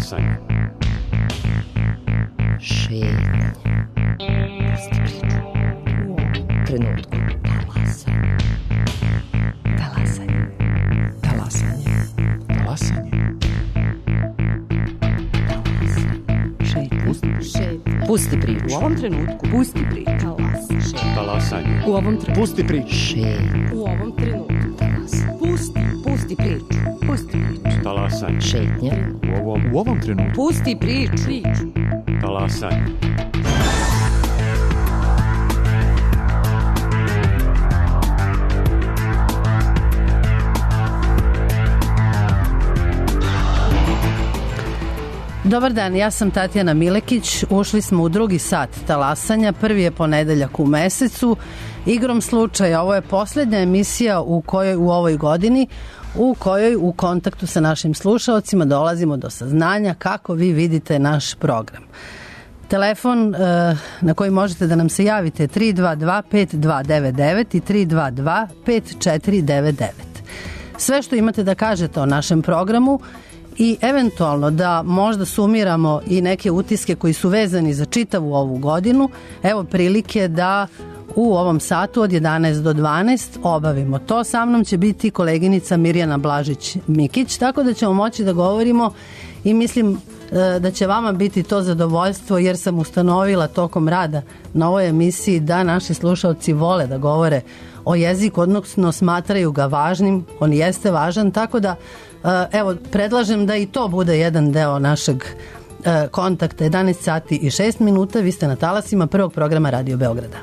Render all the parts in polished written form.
Talasanje. Šetnje. Pusti priču. U ovom trenutku. Talasanje. Talasanje. Talasanje. Talasanje. Šetnje. Pusti priču. U ovom trenutku. Pusti priču. Talasanje. U ovom trenutku. Pusti priču. Šetnje. U ovom trenutku. Pusti priču. Pusti priču. Talasanje. Šetnje. U ovom trenutku. Pusti priču. Talasanje. Dobar dan, ja sam Tatjana Milekić. Ušli smo u drugi sat talasanja. Prvi je ponedeljak u mesecu. Igrom slučaja, ovo je poslednja emisija u ovoj godini u kojoj u kontaktu sa našim slušaocima dolazimo do saznanja kako vi vidite naš program. Telefon na koji možete da nam se javite je 322-5299 i 322-5499. Sve što imate da kažete o našem programu i eventualno da možda sumiramo i neke utiske koji su vezani za čitavu ovu godinu, evo prilike da u ovom satu od 11 do 12 obavimo to. Sa mnom će biti koleginica Mirjana Blažić-Mikić, tako da ćemo moći da govorimo i mislim da će vama biti to zadovoljstvo, jer sam ustanovila tokom rada na ovoj emisiji da naši slušalci vole da govore o jeziku, odnosno smatraju ga važnim, on jeste važan, tako da evo predlažem da i to bude jedan deo našeg kontakta. 11 sati i 6 minuta, vi ste na talasima prvog programa Radio Beograda.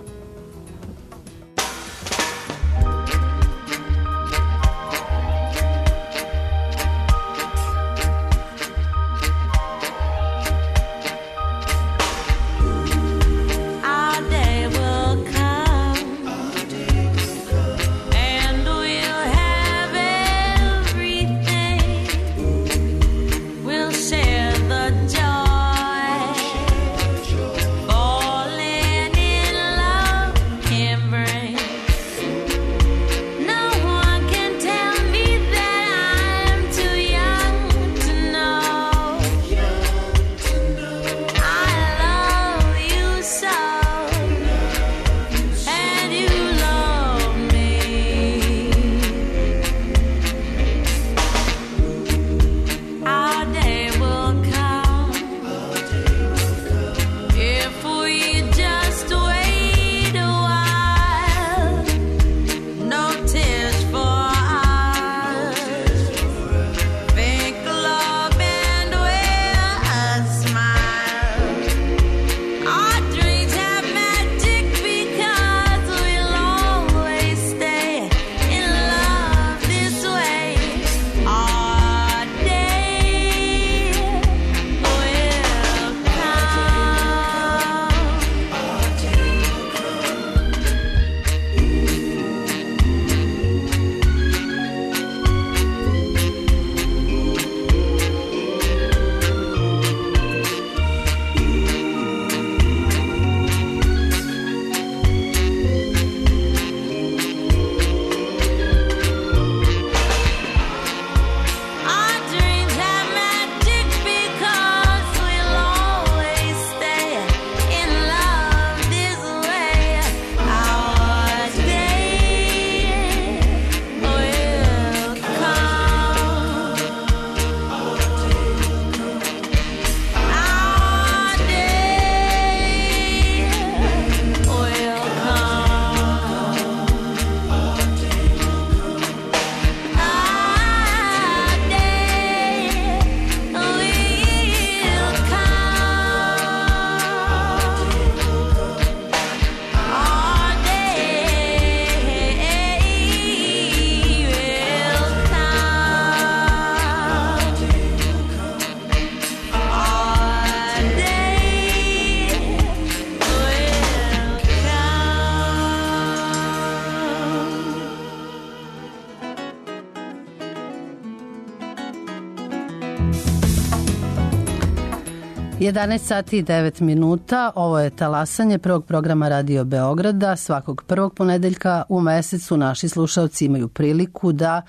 Je 11 sati i 9 minuta. Ovo je talasanje prvog programa Radio Beograda. Svakog prvog ponedeljka u mesecu naši slušalci imaju priliku da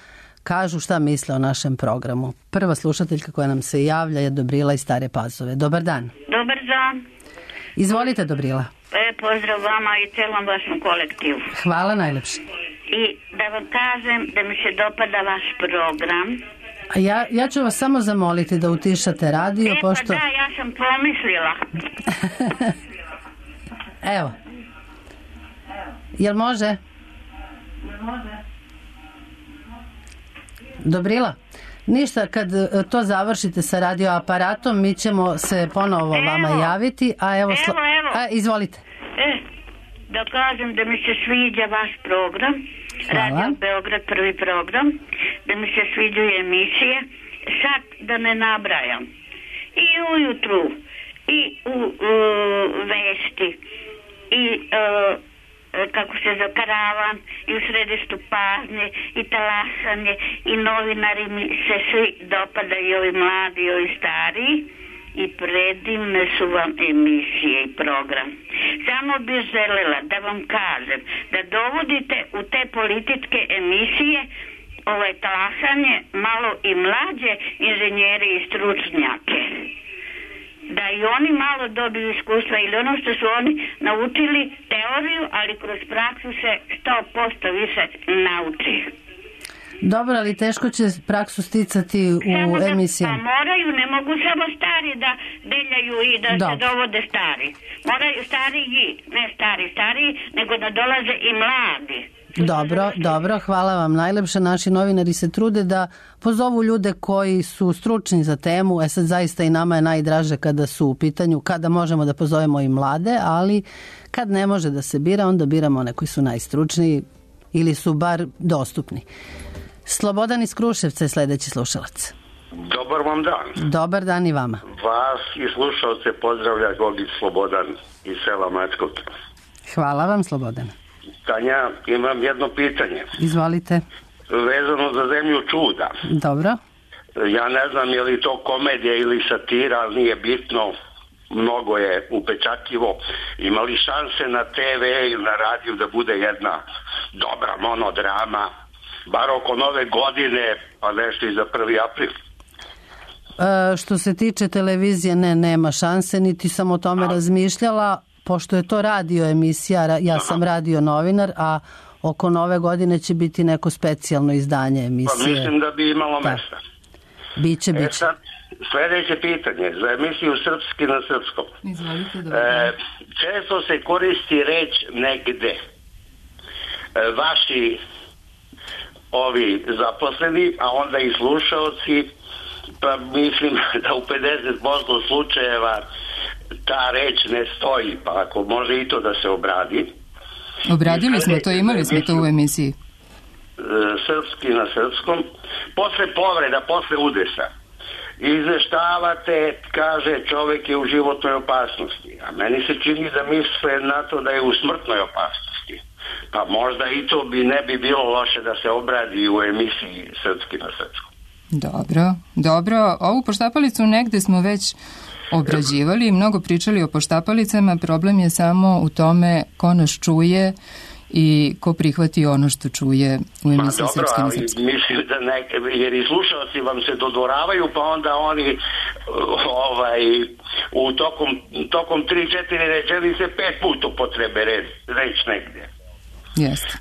kažu šta misle o našem programu. Prva slušateljka koja nam se javlja je Dobrila iz Stare Pazove. Dobar dan. Dobar dan. Izvolite, Dobrila. Pozdrav vama i celom vašem kolektivu. Hvala najlepše. I da vam kažem da mi se dopada vaš program. A ja ću vas samo zamoliti da utišate radio, pošto... Pa da, ja sam pomislila. Evo. Jel može? Dobrila? Ništa, kad to završite sa radioaparatom, mi ćemo se ponovo vama javiti. A evo. Izvolite. Da kažem da mi se sviđa vaš program. Hvala. Radio Beograd, prvi program. Da mi se sviđaju emisije. Sad da ne nabrajam. I ujutru, i u vesti, i kako se za karavan, i u središtu pažnje, i talasanje, i novinari mi se svi dopadaju, ovi mladi, ovi stariji, i predivne su vam emisije i program. Samo bih želela da vam kažem da dovodite u te političke emisije talasanje malo i mlađe inženjeri i stručnjake. Da i oni malo dobiju iskustva ili ono što su oni naučili teoriju, ali kroz praksu se 100% više nauči. Dobro, ali teško će praksu sticati u emisijama. Pa moraju, ne mogu samo stari da deljaju i da se dovode stari. Moraju stariji, ne stariji, nego da dolaze i mladi. Dobro, hvala vam najlepše. Naši novinari se trude da pozovu ljude koji su stručni za temu. Sad zaista i nama je najdraže kada su u pitanju, kada možemo da pozovemo i mlade, ali kad ne može da se bira, onda biramo one koji su najstručniji ili su bar dostupni. Slobodan iz Kruševca je sledeći slušalac. Dobar vam dan. Dobar dan i vama. Vas i slušalce pozdravlja Gogić Slobodan iz sela Mačkog. Hvala vam, Slobodan. Tanja, imam jedno pitanje. Izvolite. Vezano za zemlju čuda. Dobro. Ja ne znam je li to komedija ili satira, ali nije bitno. Mnogo je upečatljivo. Ima li šanse na TV ili na radiju da bude jedna dobra monodrama, bar oko nove godine, pa nešto i za 1. april? Što se tiče televizije, nema šanse, niti sam o tome razmišljala, pošto je to radio emisija, ja sam radio novinar, a oko nove godine će biti neko specijalno izdanje emisije. Pa mislim da bi imalo mesta. Biće. Sad, sledeće pitanje, za emisiju Srpski na srpskom. Često se koristi reč negde. Vaši ovi zaposleni, a onda i slušaoci, pa mislim da u 50% slučajeva ta reč ne stoji, pa ako može i to da se obradi. Obradili smo to, imali smo to u emisiji. Srpski na srpskom, posle povreda, posle udesa. Izveštavate, kaže čovek je u životnoj opasnosti, a meni se čini da misle na to da je u smrtnoj opasnosti. Pa možda i to ne bi bilo loše da se obradi u emisiji Srpski na srpskom. Dobro. Ovu poštapalicu negde smo već obrađivali i mnogo pričali o poštapalicama. Problem je samo u tome ko nas čuje i ko prihvati ono što čuje u emisiji Srpski na srpskom. Mislim da jer i slušalci vam se dodvoravaju, pa onda oni u tokom 3-4 rečenice 5 puta upotrebe reč negde. Jeste.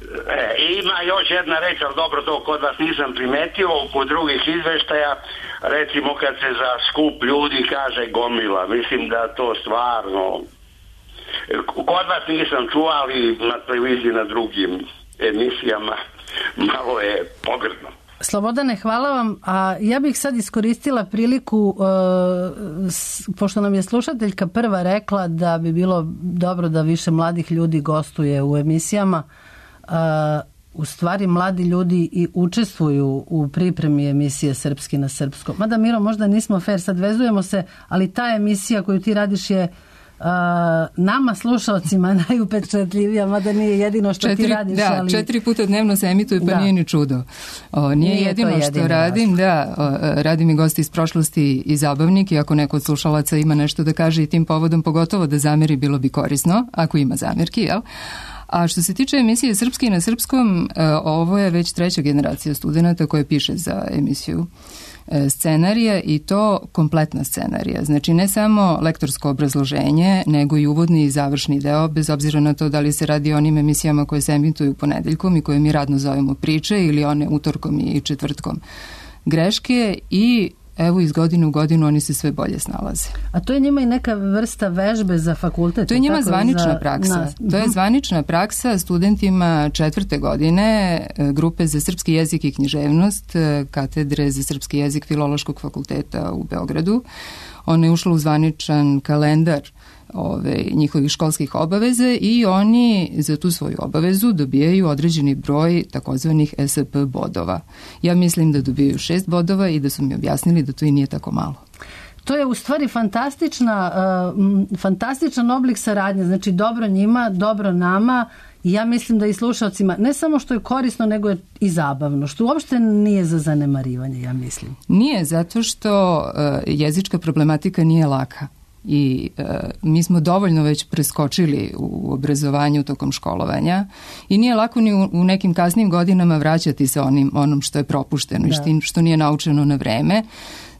Ima još jedna reč, ali dobro, to kod vas nisam primetio, kod drugih izveštaja, recimo kad se za skup ljudi kaže gomila, mislim da to stvarno kod vas nisam čuo, ali na televiziji, na drugim emisijama malo je pogrdno. Slobodane, hvala vam. A ja bih sad iskoristila priliku, pošto nam je slušateljka prva rekla da bi bilo dobro da više mladih ljudi gostuje u emisijama. U stvari mladi ljudi i učestvuju u pripremi emisije Srpski na srpskom. Mada, Miro, možda nismo fair, sad vezujemo se, ali ta emisija koju ti radiš je nama slušalcima najupečatljivija, mada nije jedino što ti radiš. Da, 4 puta dnevno se emituje, pa nije ni čudo. Nije jedino što radim, radim i gosti iz prošlosti i zabavnik, i ako neko od slušalaca ima nešto da kaže i tim povodom, pogotovo da zameri, bilo bi korisno, ako ima zamerki, jel? A što se tiče emisije Srpski na srpskom, ovo je već 3. generacija studenta koja piše za emisiju scenarija i to kompletna scenarija. Znači ne samo lektorsko obrazloženje, nego i uvodni i završni deo, bez obzira na to da li se radi o onim emisijama koje se emituju ponedeljkom i koje mi radno zovemo priče ili one utorkom i četvrtkom greške i evo iz godine u godinu oni se sve bolje snalaze. A to je njima i neka vrsta vežbe za fakultet? To je njima zvanična praksa. To je zvanična praksa studentima 4. godine grupe za srpski jezik i književnost katedre za srpski jezik Filološkog fakulteta u Beogradu. Ona je ušla u zvaničan kalendar njihovih školskih obaveze i oni za tu svoju obavezu dobijaju određeni broj takozvanih SP bodova. Ja mislim da dobijaju 6 bodova i da su mi objasnili da to i nije tako malo. To je u stvari fantastičan oblik saradnje, znači dobro njima, dobro nama i ja mislim da i slušalcima ne samo što je korisno, nego je i zabavno, što uopšte nije za zanemarivanje, ja mislim. Nije, zato što jezička problematika nije laka. I mi smo dovoljno već preskočili u obrazovanju tokom školovanja i nije lako ni u nekim kasnim godinama vraćati se onom što je propušteno i što nije naučeno na vreme.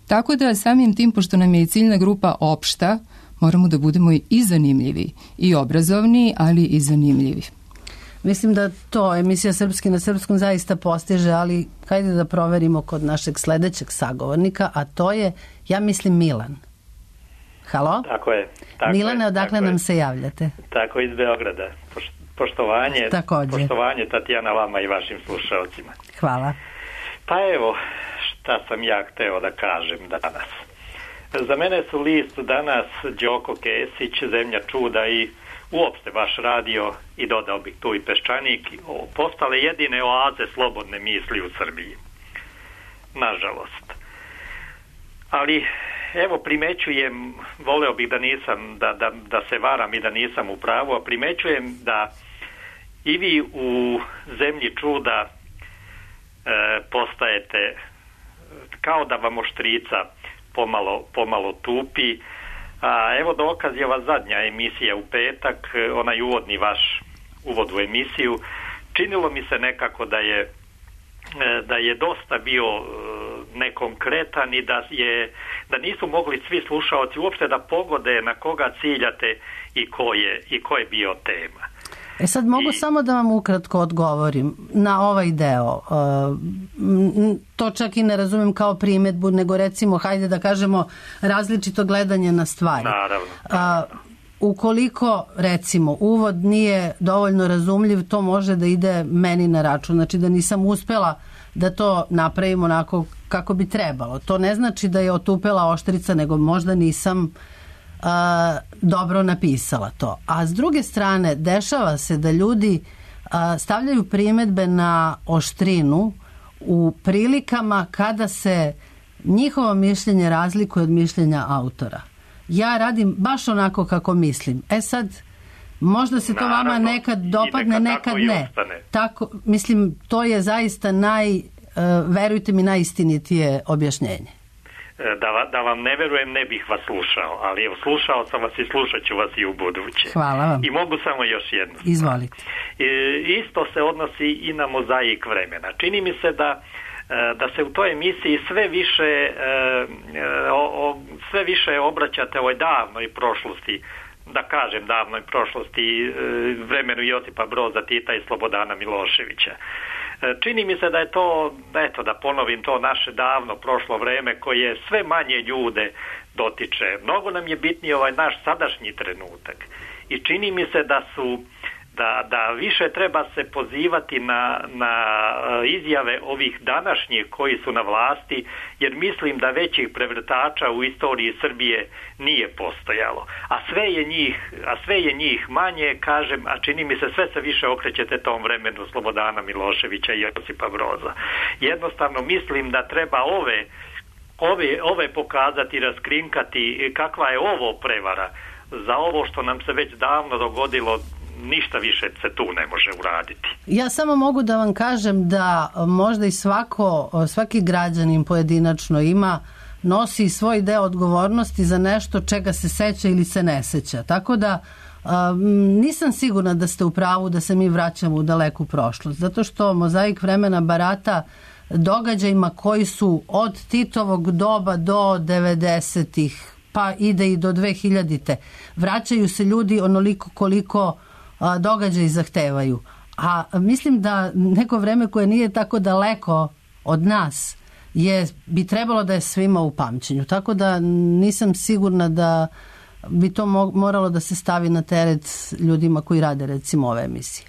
Tako da samim tim, pošto nam je i ciljna grupa opšta, moramo da budemo i zanimljivi i obrazovni, ali i zanimljivi. Mislim da to emisija Srpski na srpskom zaista postiže, ali hajde da proverimo kod našeg sledećeg sagovornika, a to je, ja mislim, Milan. Halo? Tako je. Milane, odakle nam se javljate? Tako, iz Beograda. Poštovanje Tatjana vama i vašim slušalcima. Hvala. Pa evo, šta sam ja hteo da kažem danas. Za mene su list danas Đoko Kesić, Zemlja čuda i uopšte vaš radio i dodao bih tu i Peščanik postale jedine oaze slobodne misli u Srbiji. Nažalost. Ali evo primećujem, voleo bih da nisam, da se varam i da nisam u pravu, a primećujem da i vi u Zemlji čuda postajete kao da vam oštrica pomalo tupi. A evo dokaz je ova zadnja emisija u petak, onaj uvodni vaš uvod u emisiju. Činilo mi se nekako da je dosta bio nekonkretan i da nisu mogli svi slušaoci uopšte da pogode na koga ciljate i ko je bio tema. Sad mogu samo da vam ukratko odgovorim na ovaj deo. To čak i ne razumem kao primjedbu, nego recimo, hajde da kažemo, različito gledanje na stvari. Naravno. Ukoliko, recimo, uvod nije dovoljno razumljiv, to može da ide meni na račun. Znači da nisam uspela da to napravim onako kako bi trebalo. To ne znači da je otupela oštrica, nego možda nisam dobro napisala to. A s druge strane, dešava se da ljudi stavljaju primjedbe na oštrinu u prilikama kada se njihovo mišljenje razlikuje od mišljenja autora. Ja radim baš onako kako mislim. Sad, možda se to vama nekad dopadne, nekad ne. Tako, mislim, to je zaista verujte mi, najistinitije objašnjenje. Da vam ne verujem, ne bih vas slušao, ali evo, slušao sam vas i slušat ću vas i u buduće. Hvala vam. I mogu samo još jedno. Izvolite. Isto se odnosi i na mozaik vremena. Čini mi se da se u toj emisiji sve više obraćate ovoj davnoj prošlosti, da kažem davnoj prošlosti, vremenu Josipa Broza Tita i Slobodana Miloševića. Čini mi se da je to, eto da ponovim, to naše davno prošlo vreme koje sve manje ljude dotiče. Mnogo nam je bitniji ovaj naš sadašnji trenutak i čini mi se da više treba se pozivati na izjave ovih današnjih koji su na vlasti, jer mislim da većih prevrtača u istoriji Srbije nije postojalo. A sve je njih manje, kažem, a čini mi se sve se više okrećete tom vremenu Slobodana Miloševića i Josipa Broza. Jednostavno mislim da treba ove pokazati, raskrinkati kakva je ovo prevara. Za ovo što nam se već davno dogodilo, ništa više se tu ne može uraditi. Ja samo mogu da vam kažem da možda i svaki građanin pojedinačno nosi svoj deo odgovornosti za nešto čega se seća ili se ne seća. Tako da Nisam sigurna da ste u pravu da se mi vraćamo u daleku prošlost, zato što mozaik vremena barata događajima koji su od Titovog doba do 90-ih, pa ide i do 2000-te. Vraćaju se ljudi onoliko koliko događaji zahtevaju. A mislim da neko vreme koje nije tako daleko od nas bi trebalo da je svima u pamćenju. Tako da nisam sigurna da bi to moralo da se stavi na teret ljudima koji rade recimo ove emisije.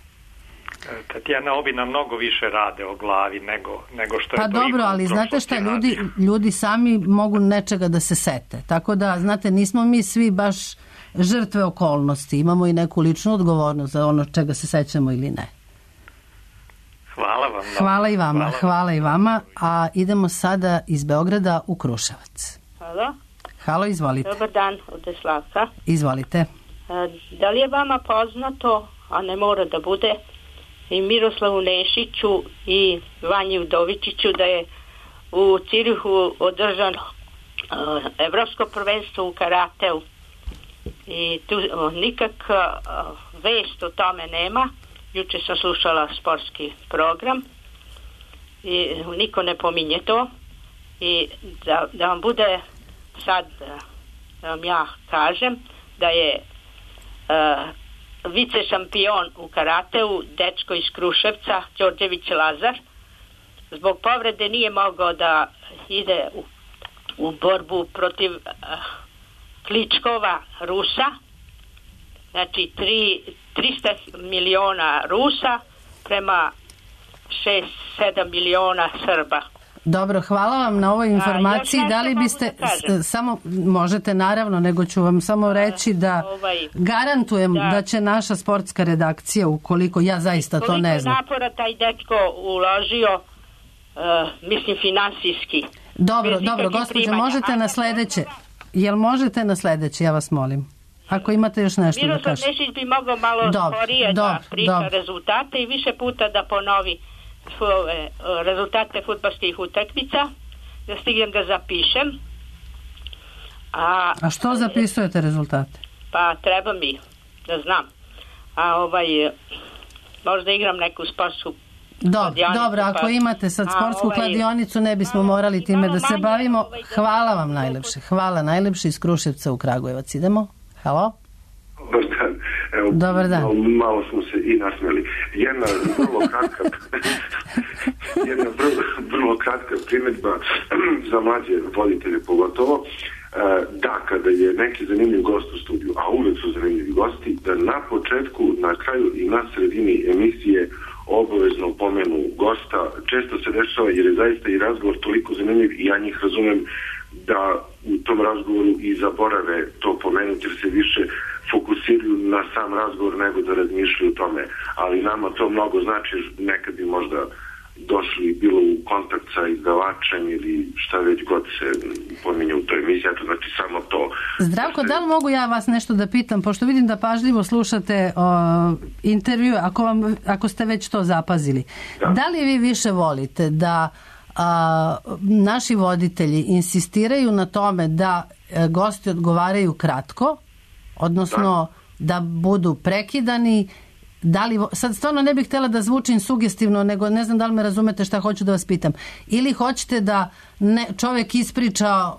Tatjana, ovi nam mnogo više rade o glavi nego što je to. Pa dobro, ali znate šta, ljudi sami mogu nečega da se sete. Tako da, znate, nismo mi svi baš žrtve okolnosti. Imamo i neku ličnu odgovornost za ono čega se sećamo ili ne. Hvala vam. Hvala i vama, hvala i vama. A idemo sada iz Beograda u Kruševac. Halo? Halo, izvolite. Dobar dan, od Deslavka. Izvolite. Da li je vama poznato, a ne mora da bude, i Miroslavu Nešiću i Vanji Udovičiću da je u Cirihu održano evropsko prvenstvo u karateu i tu nikak vest o tome nema. Juče sam slušala sportski program i niko ne pominje to i da vam bude sad, da vam ja kažem da je vice šampion u karateu, dečko iz Kruševca, Đorđević Lazar, zbog povrede nije mogao da ide u borbu protiv Kličkova Rusa, znači 300 miliona Rusa prema 6-7 miliona Srba. Dobro, hvala vam na ovoj informaciji. Da li biste, samo možete naravno, nego ću vam samo reći da garantujem da će naša sportska redakcija, ukoliko ja zaista to ne znam. Koliko napora taj dečko uložio, mislim finansijski. Dobro, gospođo, možete na sledeće. Jel možete na sledeće, ja vas molim. Ako imate još nešto da kažete. Miroslav Nešić bi mogao malo sporije da priča rezultate i više puta da ponovi rezultate fudbalskih utakmica, da stignem da zapišem. A što zapisujete rezultate? Pa treba mi da znam. Možda igram neku sportsku kladionicu. Dobro, ako imate sad sportsku kladionicu, ne bismo morali time da se bavimo. Hvala vam najlepše. Hvala najlepše iz Kruševca u Kragujevac. Idemo? Halo? Dobar dan. Evo, dobar dan. Malo smo se i nasmeli. Jedna vrlo kratka primjedba za mlađe voditelje pogotovo. Da, kada je neki zanimljiv gost u studiju, a uvek su zanimljivi gosti, da na početku, na kraju i na sredini emisije obavezno pomenu gosta. Često se dešava jer je zaista i razgovor toliko zanimljiv i ja njih razumem da u tom razgovoru i zaborave to pomenuti jer se više fokusiraju na sam razgovor nego da razmišljaju o tome. Ali nama to mnogo znači, nekad bi možda došli bilo u kontakt sa izdavačem ili šta već god se pominje u toj emisiji, to znači samo to. Zdravko, da li mogu ja vas nešto da pitam, pošto vidim da pažljivo slušate intervju, ako ste već to zapazili. Da li vi više volite da naši voditelji insistiraju na tome da gosti odgovaraju kratko, odnosno da budu prekidani? Sad stvarno ne bih htjela da zvučim sugestivno, nego ne znam da li me razumete šta hoću da vas pitam. Ili hoćete da čovjek ispriča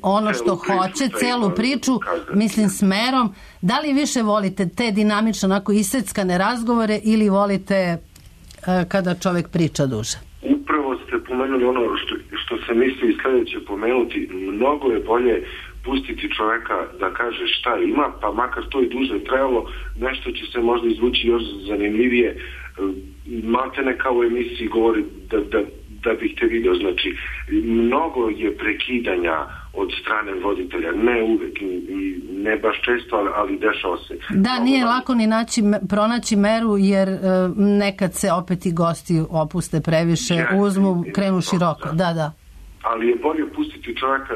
ono što hoće, celu priču, mislim smerom. Da li više volite te dinamično, onako iseckane razgovore ili volite kada čovjek priča duže? Upravo ste pomenuli ono što sam mislio i sljedeće pomenuti. Mnogo je bolje pustiti čoveka da kaže šta ima, pa makar to i duže trajalo, nešto će se možda izvući još zanimljivije. Maltene kao u emisiji govori da bih te video. Znači, mnogo je prekidanja od strane voditelja, ne uvek i ne baš često, ali dešava se. Da, nije lako ni pronaći meru, jer nekad se opet i gosti opuste previše, uzmu, krenu široko. Da. Ali je bolje pustiti čovjeka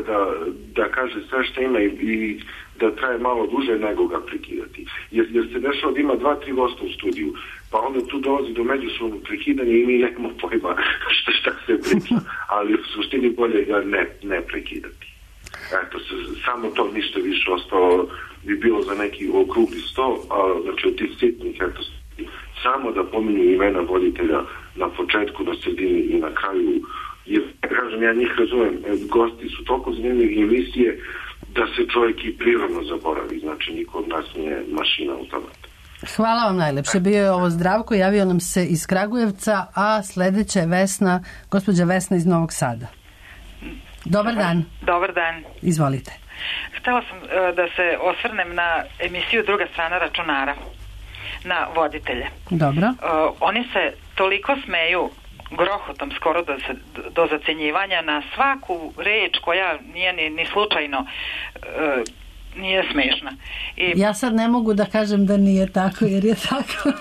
da kaže sve što ima i da traje malo duže nego ga prekidati. Jer se dešava da ima 2-3 gosta u studiju, pa onda tu dolazi do međusobnog prekidanja i mi nemamo pojma šta se priča, ali u suštini bolje ga ne prekidati. Eto, samo to ništa više ostalo bi bilo za neki okrugli sto, znači od tih sitnih, eto, samo da pominju imena voditelja na početku, na sredini i na kraju, jer, kažem, ja njih razumem, gosti su toliko zanimljivi emisije da se čovjek i prirodno zaboravi, znači niko od nas nije mašina automat. Hvala vam najlepše. Bio je ovo Zdravko, javio nam se iz Kragujevca, a sledeća je Vesna, gospođa Vesna iz Novog Sada. Dobar dan. Dobar dan. Izvolite. Htela sam da se osvrnem na emisiju Druga strana računara, na voditelje. Dobro. Oni se toliko smeju grohotom skoro do zacenjivanja na svaku reč koja nije ni slučajno nije smešna. Ja sad ne mogu da kažem da nije tako, jer je tako.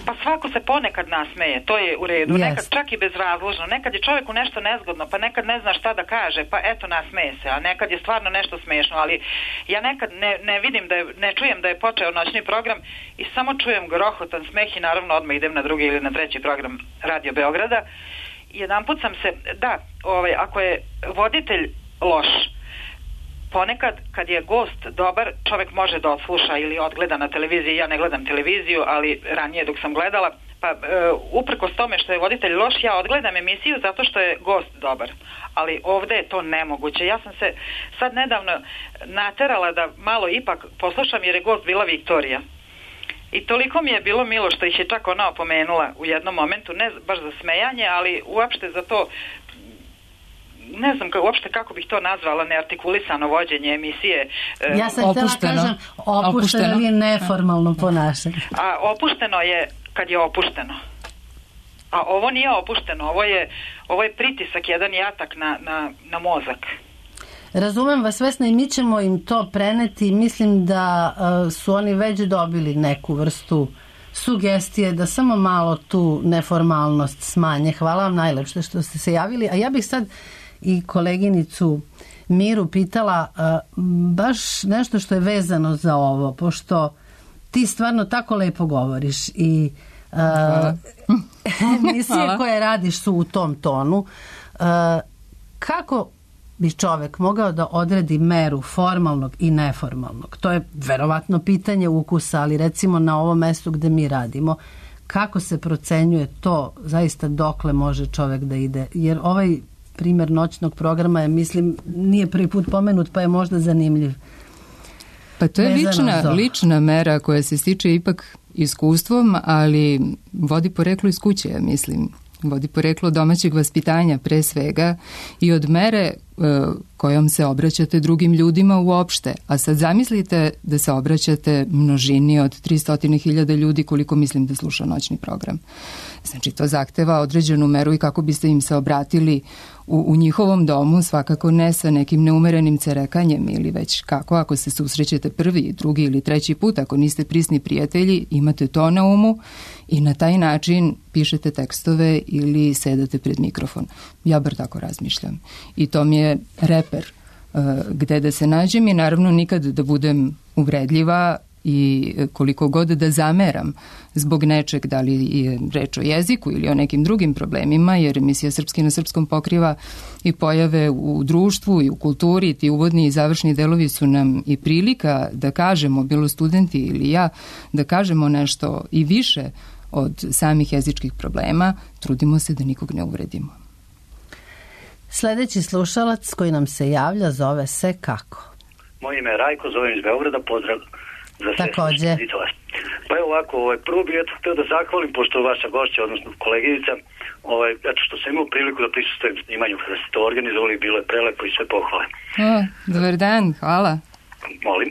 Pa svako se ponekad nasmeje, to je u redu, nekad čak i bezrazložno, nekad je čovjeku nešto nezgodno, pa nekad ne zna šta da kaže, pa eto nasmeje se, a nekad je stvarno nešto smešno, ali ja nekad ne vidim, ne čujem da je počeo noćni program i samo čujem grohotan smeh i naravno odmah idem na drugi ili na treći program Radio Beograda. Jedanput sam se, ako je voditelj loš, ponekad kad je gost dobar, čovjek može da odsluša ili odgleda na televiziji. Ja ne gledam televiziju, ali ranije dok sam gledala, pa uprkos tome što je voditelj loš, ja odgledam emisiju zato što je gost dobar. Ali ovdje je to nemoguće. Ja sam se sad nedavno naterala da malo ipak poslušam jer je gost bila Viktorija. I toliko mi je bilo milo što ih je čak ona opomenula u jednom momentu, ne baš za smejanje, ali uopšte za to, ne znam uopšte kako bih to nazvala, neartikulisano vođenje emisije. Ja sam htjela kažem opušteno ili neformalno ponašanje. A opušteno je kad je opušteno. A ovo nije opušteno, ovo je pritisak, jedan jatak na mozak. Razumem vas, Vesna, i mi ćemo im to preneti. Mislim da su oni već dobili neku vrstu sugestije da samo malo tu neformalnost smanje. Hvala vam najlepše što ste se javili. A ja bih sad i koleginicu Miru pitala baš nešto što je vezano za ovo, pošto ti stvarno tako lepo govoriš i emisije koje radiš su u tom tonu. Kako bi čovjek mogao da odredi meru formalnog i neformalnog? To je verovatno pitanje ukusa, ali recimo na ovom mestu gde mi radimo, kako se procenjuje to zaista dokle može čovjek da ide? Jer ovaj primjer noćnog programa je, mislim, nije prvi put pomenut, pa je možda zanimljiv. Pa to je lična mera koja se stiče ipak iskustvom, ali vodi poreklo iz kuće, mislim. Vodi poreklo domaćeg vaspitanja pre svega i od mere kojom se obraćate drugim ljudima uopšte. A sad zamislite da se obraćate množini od 300.000 ljudi koliko mislim da sluša noćni program. Znači to zahteva određenu meru i kako biste im se obratili u njihovom domu, svakako ne sa nekim neumerenim cerekanjem ili već kako, ako se susrećete prvi, drugi ili treći put, ako niste prisni prijatelji, imate to na umu i na taj način pišete tekstove ili sedate pred mikrofon. Ja bar tako razmišljam. I to mi je reper gde da se nađem i naravno nikad da budem uvredljiva i koliko god da zameram zbog nečeg, da li je reč o jeziku ili o nekim drugim problemima, jer emisija Srpski na srpskom pokriva i pojave u društvu i u kulturi, ti uvodni i završni delovi su nam i prilika da kažemo, bilo studenti ili ja, da kažemo nešto i više od samih jezičkih problema, trudimo se da nikog ne uvredimo. Sledeći slušalac koji nam se javlja zove se kako? Moje ime je Rajko, zovem iz Beograda, pozdrav za sve. Takođe. Pa evo ovako, prvo bih htio da zahvalim, pošto je vaša gošća, odnosno koleginica, eto što sam imao priliku da prisustujem snimanju kada ste to organizovali, bilo je prelepo i sve pohvale. Dobar dan, hvala. Molim.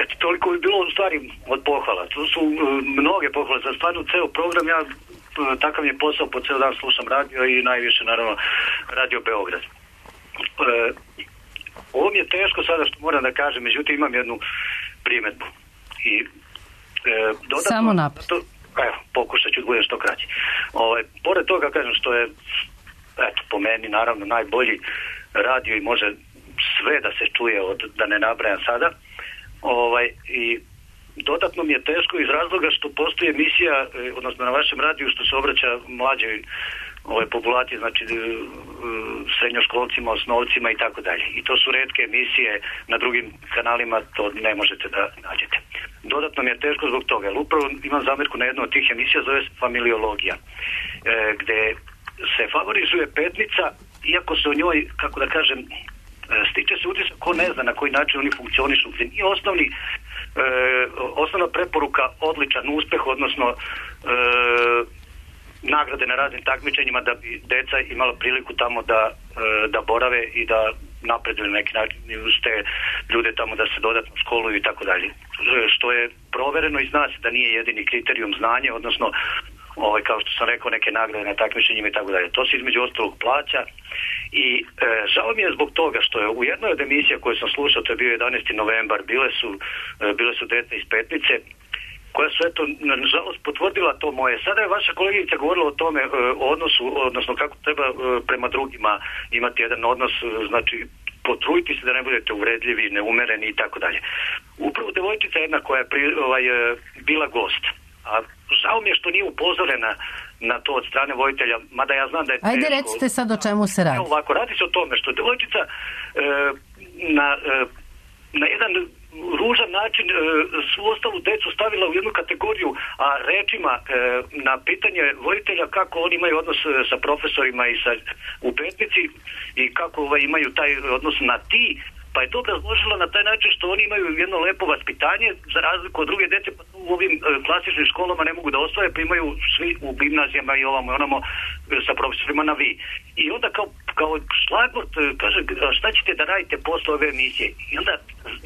Eto, toliko bi bilo u stvari od pohvala. Tu su mnoge pohvale, za stvarno ceo program, ja takav je posao, po ceo dan slušam radio i najviše naravno Radio Beograd. Ovo mi je teško sada što moram da kažem, međutim imam jednu primedbu. I dodatno, samo napred. Evo, pokušat ću da budem što kraći. Pored toga kažem što je po meni naravno najbolji radio i može sve da se čuje da ne nabrajam sada. I dodatno mi je teško iz razloga što postoji emisija, odnosno na vašem radiju što se obraća mlađoj populacije, znači srednjoškolcima, osnovcima i tako dalje. I to su retke emisije, na drugim kanalima to ne možete da nađete. Dodatno mi je teško zbog toga, jer upravo imam zamjerku na jednu od tih emisija, zove se Familiologija, gde se favorizuje Petnica, iako se o njoj, kako da kažem, stiče se utisak ko ne zna na koji način oni funkcionišu, gde nije osnovna preporuka odličan uspeh, odnosno nagrade na raznim takmičenjima da bi deca imala priliku tamo da borave i da napreduju na neki način uz te ljude tamo, da se dodatno školuju i tako dalje. Što je provereno i zna se da nije jedini kriterijum znanje, odnosno kao što sam rekao, neke nagrade na takmičenjima i tako dalje. To se između ostalog plaća i žao mi je zbog toga što je u jednoj od emisija koju sam slušao, to je bio 11. novembar, bile su deca iz Petnice, koja su nažalost potvrdila to moje. Sada je vaša kolegica govorila o tome, o odnosu, odnosno kako treba prema drugima imati jedan odnos, znači potrujiti se da ne budete uvredljivi, neumereni i tako dalje. Upravo devojčica jedna koja je bila gost, a žao mi je što nije upozorena na to od strane voditelja, mada ja znam da je teško. Ajde, recite sad o čemu se radi. Ovako, radi se o tome što devojčica na jedan ružan način svu ostalu decu stavila u jednu kategoriju, a rečima na pitanje voditelja kako oni imaju odnos sa profesorima i u Petnici i kako imaju taj odnos na ti, pa je to razložila na taj način što oni imaju jedno lepo vaspitanje za razliku od druge dece, pa u ovim klasičnim školama ne mogu da osvoje, pa imaju svi u gimnazijama i onamo sa profesorima na vi. I onda kao šlagvort kaže, šta ćete da radite posle ove emisije? I onda,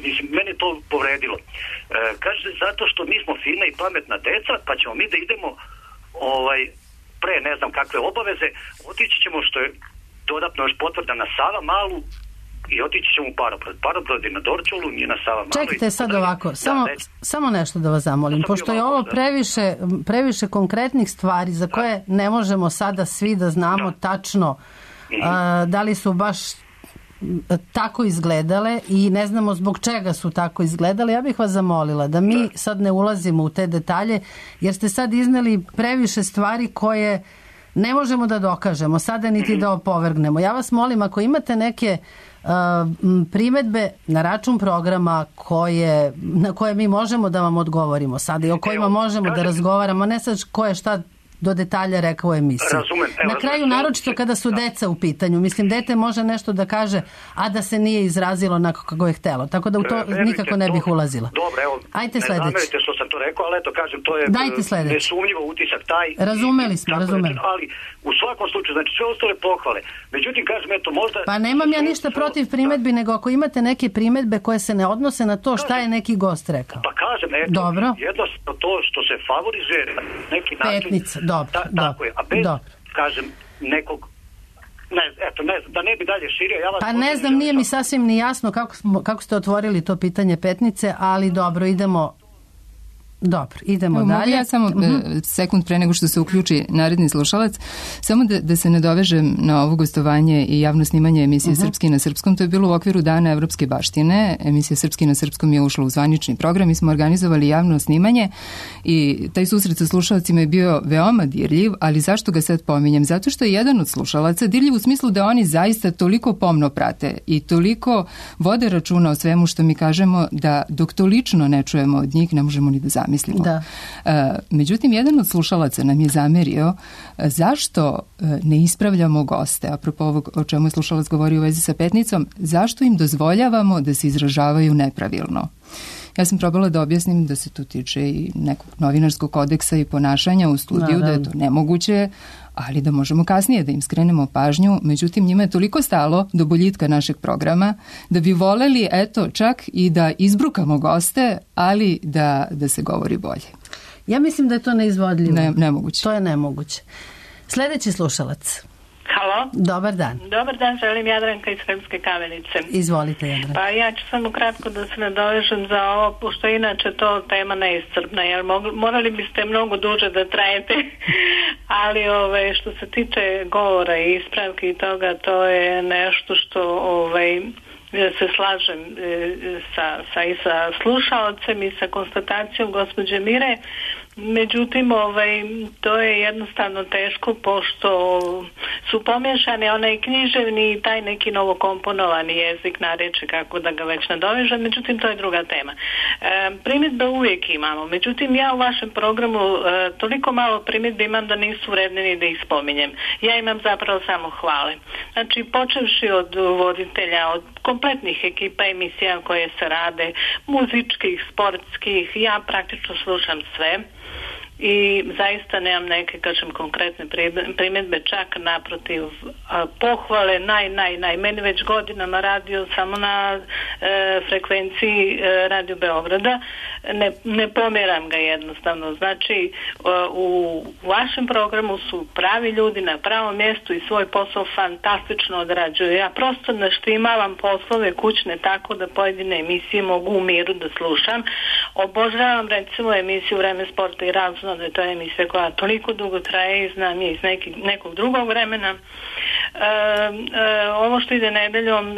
mislim, mene to povredilo. Kaže, zato što mi smo fina i pametna deca, pa ćemo mi da idemo pre ne znam kakve obaveze, otići ćemo, što je dodatno još potvrda, na Sava Malu, i otići ćemo u Parobrod. Parobrod je na Dorčolu, nije na Sava Malu. Čekajte sad ovako, samo nešto da vas zamolim, pošto je ovo previše konkretnih stvari za koje ne možemo sada svi da znamo tačno da li su baš tako izgledale i ne znamo zbog čega su tako izgledale. Ja bih vas zamolila da mi sad ne ulazimo u te detalje, jer ste sad izneli previše stvari koje ne možemo da dokažemo, sada niti da opovrgnemo. Ja vas molim, ako imate neke primedbe na račun programa na koje mi možemo da vam odgovorimo sada i o kojima možemo da razgovaramo, ne sad ko je šta do detalja rekao u emisiji. Na kraju, naročito kada su deca u pitanju, mislim, dete može nešto da kaže, a da se nije izrazilo onako kako je htelo, tako da u to nikako ne bih ulazila. Dobro, evo, ajte ne zamerite što sam to rekao, ali eto, kažem, to je nesumnjivo utisak taj. Razumeli smo. Ali u svakom slučaju, znači sve ostale pohvale. Međutim, kažem, eto, možda... Pa nemam ja ništa protiv primedbi, nego ako imate neke primedbe koje se ne odnose na to šta je neki gost rekao. Pa kažem, eto, jednostavno to što se favorizuje neki način... Petnica, dobro. Tako je, a bez, kažem, nekog, da ne bi dalje širio, ja vas... Pa ne znam, nije mi sasvim ni jasno kako ste otvorili to pitanje Petnice, ali dobro, idemo dalje. Mogu ja samo sekund pre nego što se uključi naredni slušalac, samo da se nadovežem na ovo gostovanje i javno snimanje emisije Srpski na srpskom. To je bilo u okviru Dana evropske baštine. Emisija Srpski na srpskom je ušla u zvanični program. Mi smo organizovali javno snimanje i taj susret sa slušalcima je bio veoma dirljiv, ali zašto ga sad pominjem? Zato što je jedan od slušalaca dirljiv u smislu da oni zaista toliko pomno prate i toliko vode računa o svemu što mi kažemo da dok to lično ne čujemo od njih ne možemo ni da zamislimo. Međutim, jedan od slušalaca nam je zamerio zašto ne ispravljamo goste, apropo ovog o čemu je slušalac govorio u vezi sa Petnicom, zašto im dozvoljavamo da se izražavaju nepravilno. Ja sam probala da objasnim da se tu tiče i nekog novinarskog kodeksa i ponašanja u studiju, da je to nemoguće, ali da možemo kasnije da im skrenemo pažnju. Međutim, njima je toliko stalo do boljitka našeg programa da bi voleli, eto, čak i da izbrukamo goste, ali da se govori bolje. Ja mislim da je to neizvodljivo. Nemoguće. To je nemoguće. Sljedeći slušalac. Halo. Dobar dan. Dobar dan, želim Jadranka iz Sremske Kamenice. Izvolite, Jadranka. Pa ja ću samo kratko da se nadovežem za ovo, pošto inače to tema neiscrpna, jer morali biste mnogo duže da trajete, ali što se tiče govora i ispravke i toga, to je nešto što se slažem i sa slušaocem i sa konstatacijom gospođe Mire, Međutim, to je jednostavno teško, pošto su pomješani onaj književni i taj neki novokomponovani jezik, narečje, kako da ga već nadovežem, međutim to je druga tema. Primjedbe uvijek imamo, međutim ja u vašem programu toliko malo primjedbe imam da nisu vredne ni da ih spominjem. Ja imam zapravo samo hvale. Znači, počevši od voditelja, od kompletnih ekipa emisija koje se rade, muzičkih, sportskih, ja praktično slušam sve. I zaista nemam neke, kažem, konkretne primjedbe, čak naprotiv, pohvale, meni već godinama radio samo na frekvenciji Radio Beograda, ne pomjeram ga jednostavno. Znači, u vašem programu su pravi ljudi na pravom mjestu i svoj posao fantastično odrađuju. Ja prosto naštimavam poslove kućne tako da pojedine emisije mogu u miru da slušam. Obožavam recimo emisiju Vreme sporta i razno, da je to emisija koja toliko dugo traje i znam je iz nekog drugog vremena. Ovo što ide nedeljom,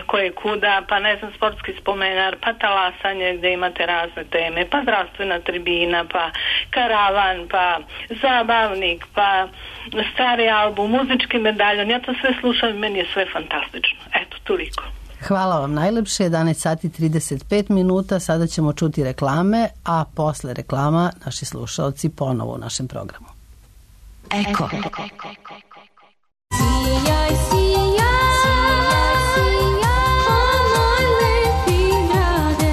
koje kuda, pa ne znam, sportski spomenar, pa talasanje gdje imate razne teme, pa zdravstvena tribina, pa karavan, pa zabavnik, pa stari album, muzički medaljon, ja to sve slušam i meni je sve fantastično. Eto, toliko. Hvala vam najlepše, 11 sati 35 minuta, sada ćemo čuti reklame, a posle reklama naši slušalci ponovo u našem programu. Eko. Sijaj, moj lepi grade.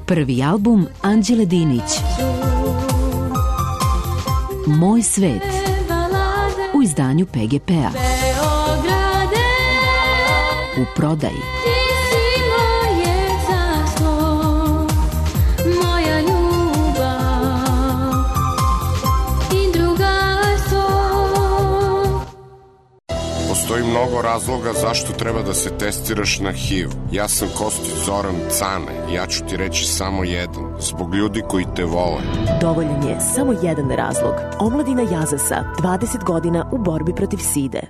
Prvi album Anđele Dinić, Moj svet, u izdanju PGP-a, u prodaji. Postoji mnogo razloga zašto treba da se testiraš na HIV. Ja sam Kostić Zoran Cane. Ja ću ti reći samo jedan. Zbog ljudi koji te vole. Dovoljan je samo jedan razlog. Omladina Jazasa, 20 godina u borbi protiv side.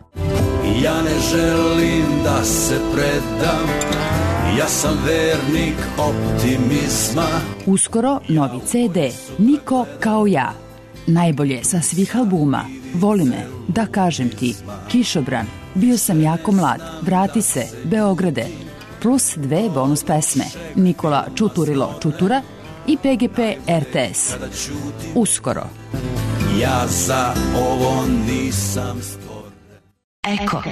Ja ne želim da se predam. Ja sam vernik optimizma. Uskoro novi CD Niko kao ja. Najbolje sa svih albuma. Voli me, da kažem ti, Kišobran, Bio sam jako mlad, Vrati se, Beograde, plus 2 bonus pesme, Nikola Čuturilo Čutura i PGP RTS. Uskoro. Ja za ovo nisam stvoren. Eko.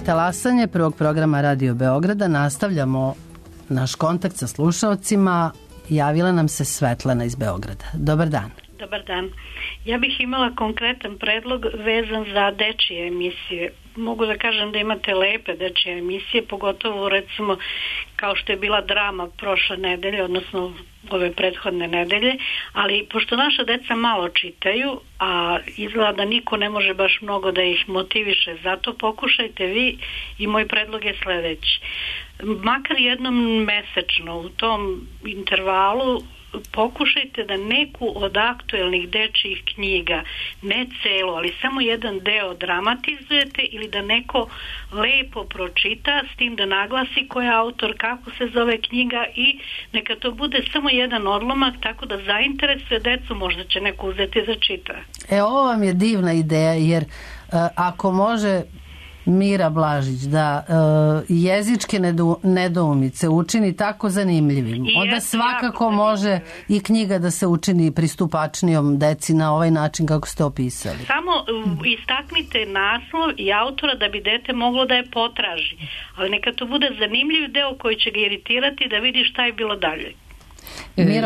Talasanje prvog programa Radio Beograda. Nastavljamo naš kontakt sa slušaocima. Javila nam se Svetlana iz Beograda. Dobar dan. Dobar dan. Ja bih imala konkretan predlog vezan za dečije emisije. Mogu da kažem da imate lepe dečije emisije, pogotovo recimo kao što je bila Drama prošle nedelje, odnosno ove prethodne nedelje, ali pošto naša deca malo čitaju, a izgleda da niko ne može baš mnogo da ih motiviše, zato pokušajte vi i moj predlog je sledeći. Makar jednom mesečno u tom intervalu pokušajte da neku od aktuelnih dečjih knjiga, ne celo, ali samo jedan deo dramatizujete ili da neko lepo pročita, s tim da naglasi ko je autor, kako se zove knjiga i neka to bude samo jedan odlomak, tako da zainteresuje decu, možda će neko uzeti za čita. Ovo vam je divna ideja, jer ako može Mira Blažić da jezičke nedoumice učini tako zanimljivim, onda svakako može i knjiga da se učini pristupačnijom deci na ovaj način kako ste opisali. Samo istaknite naslov i autora da bi dete moglo da je potraži, ali neka to bude zanimljiv deo koji će ga iritirati da vidi šta je bilo dalje.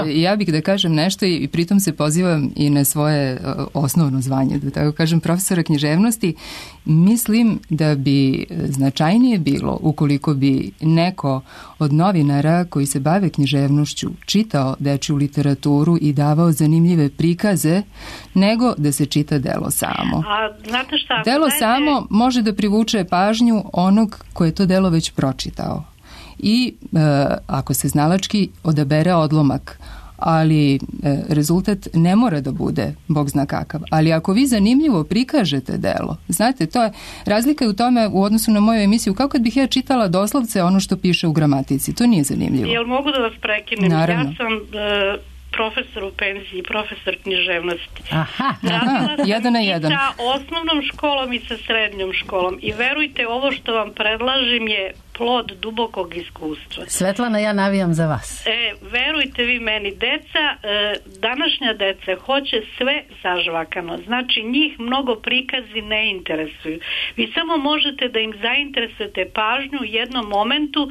Ja bih da kažem nešto i pritom se pozivam i na svoje osnovno zvanje, da tako kažem, profesora književnosti. Mislim da bi značajnije bilo ukoliko bi neko od novinara koji se bave književnošću čitao dečju literaturu i davao zanimljive prikaze, nego da se čita delo samo. A znate šta? Delo samo može da privuče pažnju onog ko je to delo već pročitao. I ako se znalački odabere odlomak, ali rezultat ne mora da bude bog zna kakav. Ali ako vi zanimljivo prikažete delo, znate, to je razlika u tome u odnosu na moju emisiju, kao kad bih ja čitala doslovce ono što piše u gramatici. To nije zanimljivo. Jel mogu da vas prekinem? Naravno. Ja sam profesor u penziji, profesor književnosti. Aha, jedan na jedan. I sa osnovnom školom i sa srednjom školom. I verujte, ovo što vam predlažem je plod dubokog iskustva. Svetlana, ja navijam za vas. Verujte vi meni, deca, današnja deca hoće sve zažvakano. Znači, njih mnogo prikazi ne interesuju. Vi samo možete da im zainteresujete pažnju u jednom momentu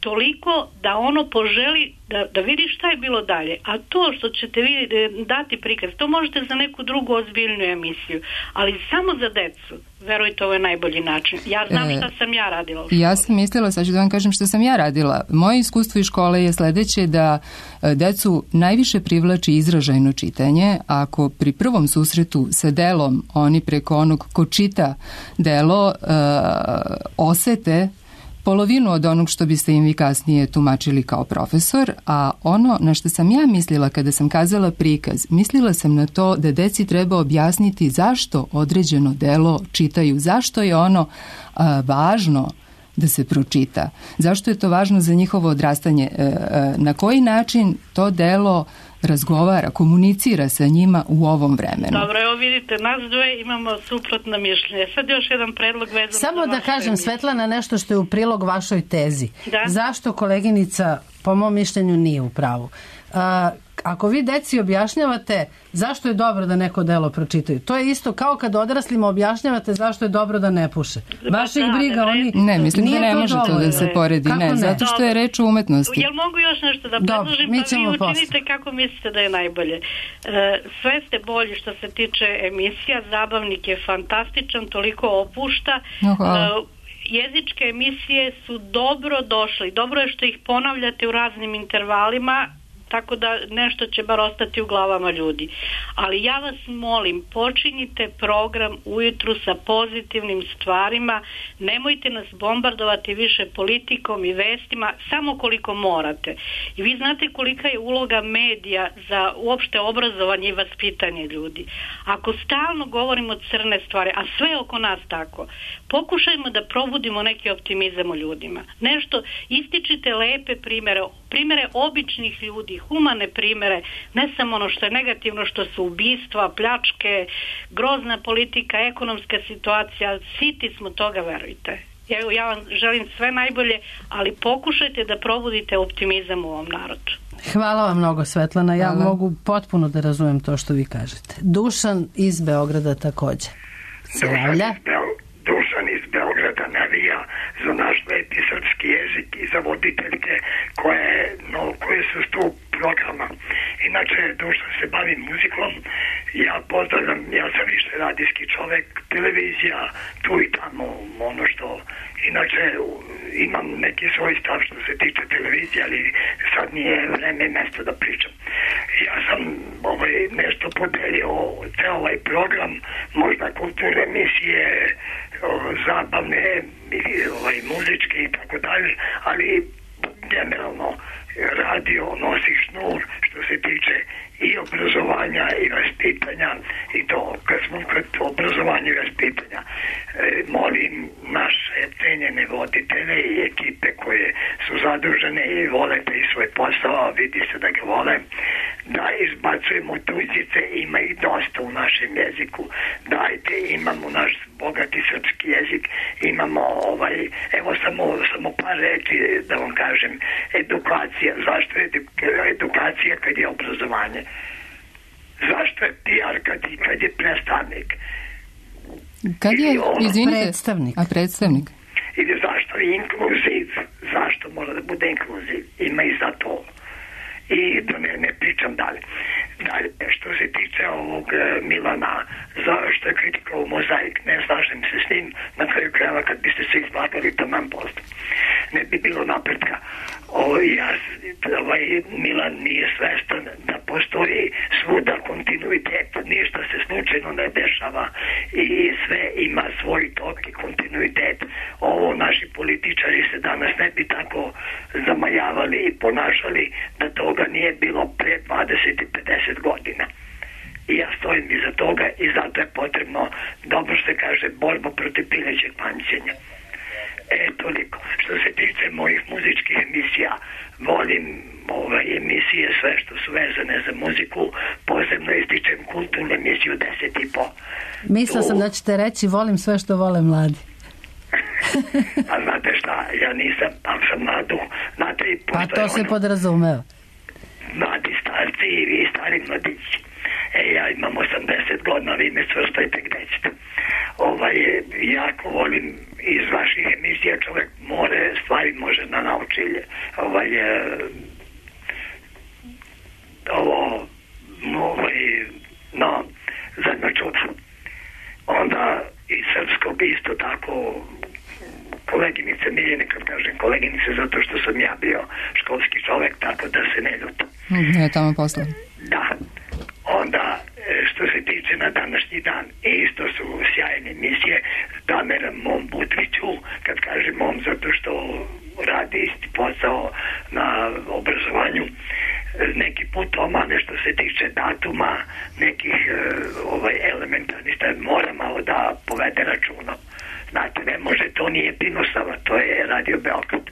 toliko da ono poželi da vidi šta je bilo dalje. A to što ćete vi dati prikaz, to možete za neku drugu ozbiljnu emisiju. Ali samo za decu, verujte, ovo je najbolji način. Ja znam šta sam ja radila u školi. Ja sam mislila, sad ću da vam kažem što sam ja radila. Moje iskustvo iz škole je sledeće, da decu najviše privlači izražajno čitanje. Ako pri prvom susretu sa delom oni preko onog ko čita delo osete polovinu od onog što biste im vi kasnije tumačili kao profesor, a ono na što sam ja mislila kada sam kazala prikaz, mislila sam na to da deci treba objasniti zašto određeno delo čitaju, zašto je ono važno da se pročita, zašto je to važno za njihovo odrastanje, na koji način to delo razgovara, komunicira sa njima u ovom vremenu. Dobro, evo vidite, nas dve imamo suprotno mišljenje. Sad još jedan predlog vezan. Samo da kažem, Svetlana, nešto što je u prilog vašoj tezi. Da? Zašto koleginica, po mom mišljenju, nije u pravu? Ako vi deci objašnjavate zašto je dobro da neko delo pročitaju, to je isto kao kad odraslima objašnjavate zašto je dobro da ne puše. Baš ih briga, oni... Ne, mislim da ne može to da se poredi. Ne, zato što je reč o umetnosti. Jel mogu još nešto da predložim, pa vi učinite kako mislite da je najbolje. Sve ste bolji što se tiče emisija, zabavnik je fantastičan, toliko opušta. Jezičke emisije su dobro došle. Dobro je što ih ponavljate u raznim intervalima, tako da nešto će bar ostati u glavama ljudi. Ali ja vas molim, počinjite program ujutru sa pozitivnim stvarima, nemojte nas bombardovati više politikom i vestima, samo koliko morate. I vi znate kolika je uloga medija za uopšte obrazovanje i vaspitanje ljudi. Ako stalno govorimo crne stvari, a sve oko nas tako, pokušajmo da probudimo neki optimizam u ljudima. Nešto, ističite lepe primere običnih ljudi, humane primere, ne samo ono što je negativno, što su ubistva, pljačke, grozna politika, ekonomska situacija, siti smo toga, verujte. Ja vam želim sve najbolje, ali pokušajte da probudite optimizam u ovom narodu. Hvala vam mnogo, Svetlana. Ja mogu potpuno da razumem to što vi kažete. Dušan iz Beograda takođe se javlja. Dušan iz Beograda navija za naš sveti srpski jezik i za voditeljke koje su tu programa. Inače, dušno se bavim muzikom, ja pozdravljam, ja sam više radijski čovek, televizija, tu i tamo, ono što, inače imam neki svoj stav što se tiče televizije, ali sad nije vreme i mesto da pričam. Ja sam nešto podelio ceo ovaj program, možda kulturne emisije, zabavne, muzičke i tako dalje, ali generalno radio nosi šnur što se tiče i obrazovanja i vaspitanja i to kad smo kod obrazovanja i vaspitanja molim naše cenjene voditelje i ekipe koje su zadužene i vole taj svoj posao, vidi se da ga vole, da izbacujemo tuđice, ima ih dosta u našem jeziku, dajte, imamo naš bogati srpski jezik, imamo evo samo par reči da vam kažem, edukacija. Zašto je edukacija kad je obrazovanje? Zašto je PR kad je predstavnik? Kad je, izvinite, predstavnik. Ili zašto je inkluziv? Zašto mora da bude inkluziv? Ima i za to. I da ne pričam dalje. Dalje, što se tiče ovog Milana, što je kritikao Mozaik, ne slažem se s njim, na kraju krajeva kad biste se izlagali taman posto. Ne bi bilo napretka. Milan nije svestan da postoji svuda kontinuitet, ništa se slučajno ne dešava i sve ima svoj tok i kontinuitet. Naši političari se danas ne bi tako zamajavali i ponašali da toga nije bilo pre 20 i 50 godina. I ja stojim iza toga i zato je potrebno, dobro se kaže, borba protiv pilećeg pamćenja. Toliko. Što se tiče mojih muzičkih emisija, volim emisije sve što su vezane za muziku, posebno ističem kulturnu emisiju 10,5. Mislila sam da ćete reći volim sve što vole mladi. A znate šta, ja nisam, ali sam mladu. Pa to se podrazumeva. Mladi starci i vi stari mladići. Ja imam 80 godina, vi me svrstajte gde ćete. Jako volim iz vaših emisija, čovjek stvari može da nauči. Zadnja čuda. Onda i srpskog isto tako, koleginice Miljene, kad kažem koleginice, zato što sam ja bio školski čovjek, tako da se ne ljutim. Ne, tamo posle. Da. Onda, što se tiče na današnji dan, isto su sjajne emisije. Damera mom Budviću, kad kažem mom, zato što radi isti posao na obrazovanju, neki put omane što se tiče datuma, nekih elementarnih stvari, mora malo da povede računa. Znate, ne može, to nije Pinosava, to je Radio Beograd.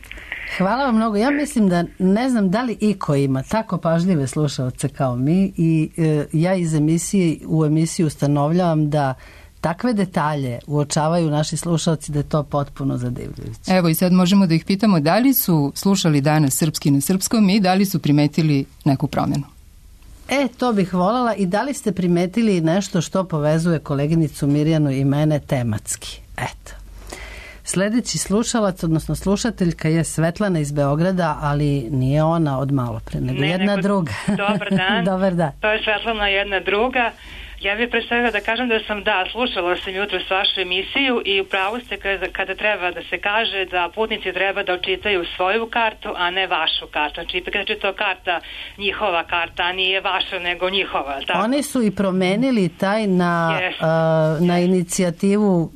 Hvala vam mnogo. Ja mislim da ne znam da li iko ima tako pažljive slušaoce kao mi i ja iz emisije u emisiju ustanovljavam da takve detalje uočavaju naši slušaoci da je to potpuno zadivljujuće. Evo i sad možemo da ih pitamo da li su slušali danas srpski na srpskom i da li su primetili neku promjenu. To bih voljela i da li ste primetili nešto što povezuje koleginicu Mirjanu i mene tematski. Eto. Sljedeći slušalac, odnosno slušateljka je Svetlana iz Beograda, ali nije ona od malo pre, nego jedna druga. Dobar dan. Dobar dan. To je Svetlana jedna druga. Ja bih predstavila da kažem da sam, slušala sam jutro s vašu emisiju i upravo ste kada treba da se kaže da putnici treba da očitaju svoju kartu, a ne vašu kartu. Znači, ipak je to karta, njihova karta, a nije vaša, nego njihova. Tako? Oni su i promenili taj na inicijativu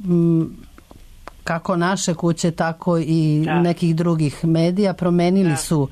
kako naše kuće, tako i nekih drugih medija, promenili su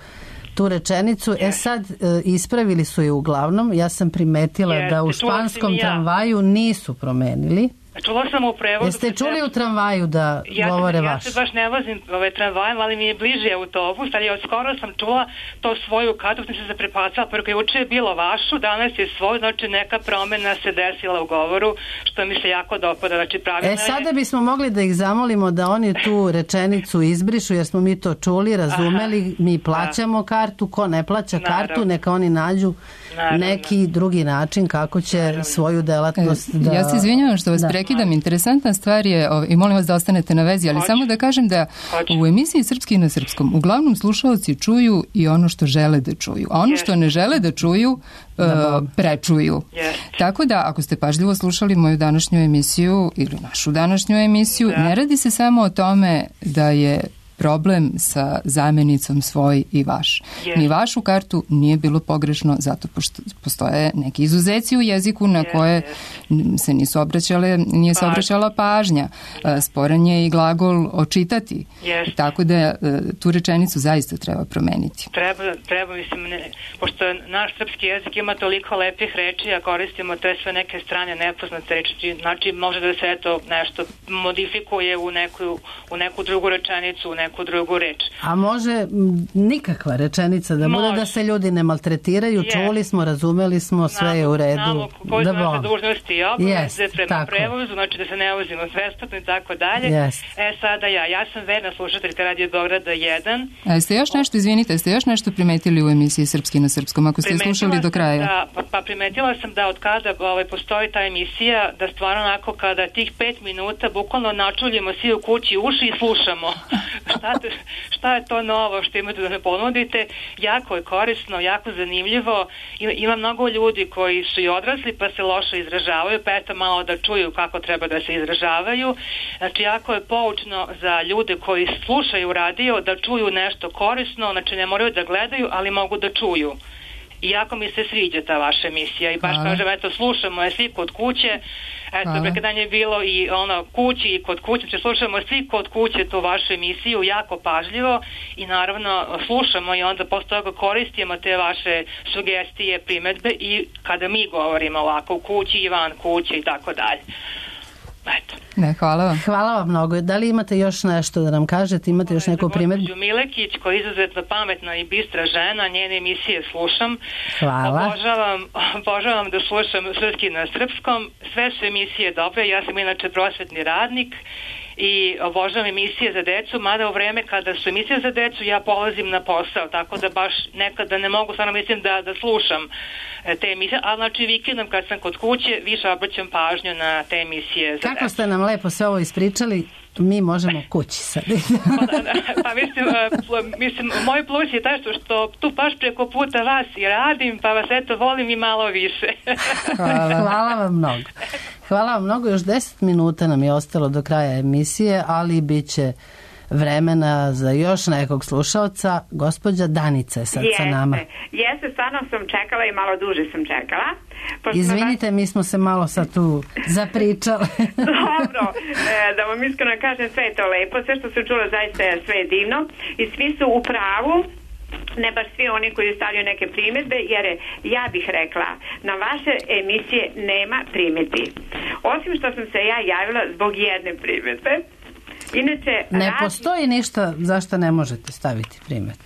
tu rečenicu. Sad ispravili su je uglavnom. Ja sam primetila da u španskom tramvaju nisu promenili. Čula sam u prevodu. Jeste čuli u tramvaju da govore vaš? Ja se baš ne vozim tramvajem, ali mi je bliže autobus, ali od skoro sam čula to svoju kartu, sam se zaprepacala, preko juče je bilo vašu, danas je svoj, znači neka promjena se desila u govoru, što mi se jako dopada, znači pravilno sada bismo mogli da ih zamolimo da oni tu rečenicu izbrišu, jer smo mi to čuli, razumeli, mi plaćamo kartu, ko ne plaća kartu, neka oni nađu neki drugi način kako će svoju delatnost da... Ja se izvinjavam što vas prekidam, interesantna stvar je, i molim vas da ostanete na vezi, ali samo da kažem da u emisiji Srpski na srpskom uglavnom slušaoci čuju i ono što žele da čuju, a ono što ne žele da čuju prečuju. Tako da, ako ste pažljivo slušali moju današnju emisiju ili našu današnju emisiju, ne radi se samo o tome da je problem sa zamjenicom svoj i vaš. Ni vašu kartu nije bilo pogrešno, zato postoje neki izuzeci u jeziku na koje se nije se obraćala pažnja. Sporan je i glagol očitati. Tako da tu rečenicu zaista treba promeniti. Treba mislim, pošto naš srpski jezik ima toliko lepih reči, a koristimo te sve neke strane nepoznate reči, znači može da se nešto modifikuje u neku drugu rečenicu, u neku drugu reč. A može nikakva rečenica da bude da se ljudi ne maltretiraju, čuli smo, razumeli smo, sve je u redu. Znamo koji su naše dužnosti i obaveze prema prevozu, znači da se ne vozimo besplatno i tako dalje. Sada ja sam verna slušateljka Radio Beograda 1. A jeste još nešto, izvinite, jeste još nešto primetili u emisiji Srpski na srpskom, ako ste slušali do kraja? Primetila sam da od kada postoji ta emisija, da stvarno onako kada tih 5 minuta bukvalno načuljimo svi u kući uši i slušamo. Šta je to novo što imate da me ponudite? Jako je korisno, jako zanimljivo. Ima mnogo ljudi koji su i odrasli pa se loše izražavaju, pa eto malo da čuju kako treba da se izražavaju. Znači jako je poučno za ljude koji slušaju radio da čuju nešto korisno, znači ne moraju da gledaju, ali mogu da čuju. I jako mi se sviđa ta vaša emisija i baš kažem, eto, slušamo je svi kod kuće, eto, prekadanje je bilo i kući i kod kuće, znači slušamo svi kod kuće tu vašu emisiju jako pažljivo i naravno slušamo i onda posle toga koristimo te vaše sugestije, primetbe i kada mi govorimo ovako u kući i van kuće i tako dalje. Eto. Hvala vam. Hvala vam mnogo. Da li imate još nešto da nam kažete? Imate još neku primjedbu? Gospođu Milekić, koja je izuzetno pametna i bistra žena, njene emisije slušam. Hvala. Obožavam da slušam Srpski na srpskom. Sve su emisije dobre. Ja sam inače prosvetni radnik i obožavam emisije za decu, mada u vreme kada su emisije za decu ja polazim na posao, tako da baš nekada ne mogu, stvarno mislim da slušam te emisije, ali znači vikendom kad sam kod kuće više obraćam pažnju na te emisije za decu. Kako ste nam lepo sve ovo ispričali, mi možemo kući sad. Pa mislim, moj plus je taj što tu baš preko puta vas i radim, pa vas eto volim i malo više. Hvala vam mnogo. Hvala vam mnogo, još 10 minuta nam je ostalo do kraja emisije, ali bit će vremena za još nekog slušalca. Gospođa Danica je sad sa nama. Jeste, stvarno sam čekala i malo duže sam čekala. Izvinite, mi smo se malo sad tu zapričali. Dobro, da vam iskreno kažem, sve je to lepo, sve što sam čula zaista je sve divno i svi su u pravu. Ne baš svi oni koji stavljaju neke primjedbe, jer ja bih rekla, na vaše emisije nema primjedbi. Osim što sam se ja javila zbog jedne primjedbe. Inače, ne postoji ništa zašto ne možete staviti primjedbe.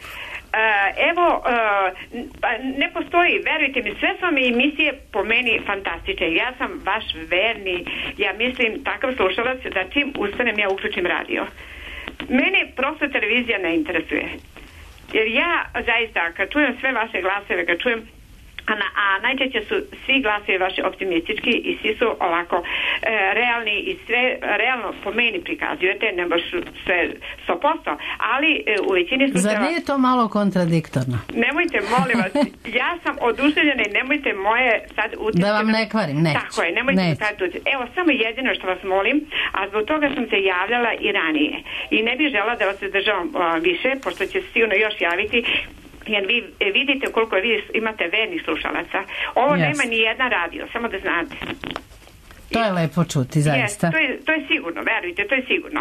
Ne postoji, verujte mi, sve su mi emisije po meni fantastične. Ja sam vaš verni, ja mislim, takav slušalac da čim ustanem ja uključim radio. Mene prosto televizija ne interesuje. Jer ja zaista, kad čujem sve vaše glasove, kad čujem a najčešće su svi glasovi vaši optimistički i svi su ovako realni i sve realno po meni prikazujete, ne baš sve 100%, ali u većini slučajeva... Zar nije to malo kontradiktorno? Nemojte, molim vas, ja sam oduševljena i nemojte moje sad utjecati... Da vam ne kvarim, neću. Tako je, nemojte sad utjecati. Evo, samo jedino što vas molim, a zbog toga sam se javljala i ranije. I ne bih žela da vas zadržavam više, pošto će se sigurno još javiti, jer vi vidite koliko vi imate vernih slušalaca. Ovo nema ni jedna radio, samo da znate. To je lepo čuti, zaista. To je sigurno, verujte, to je sigurno.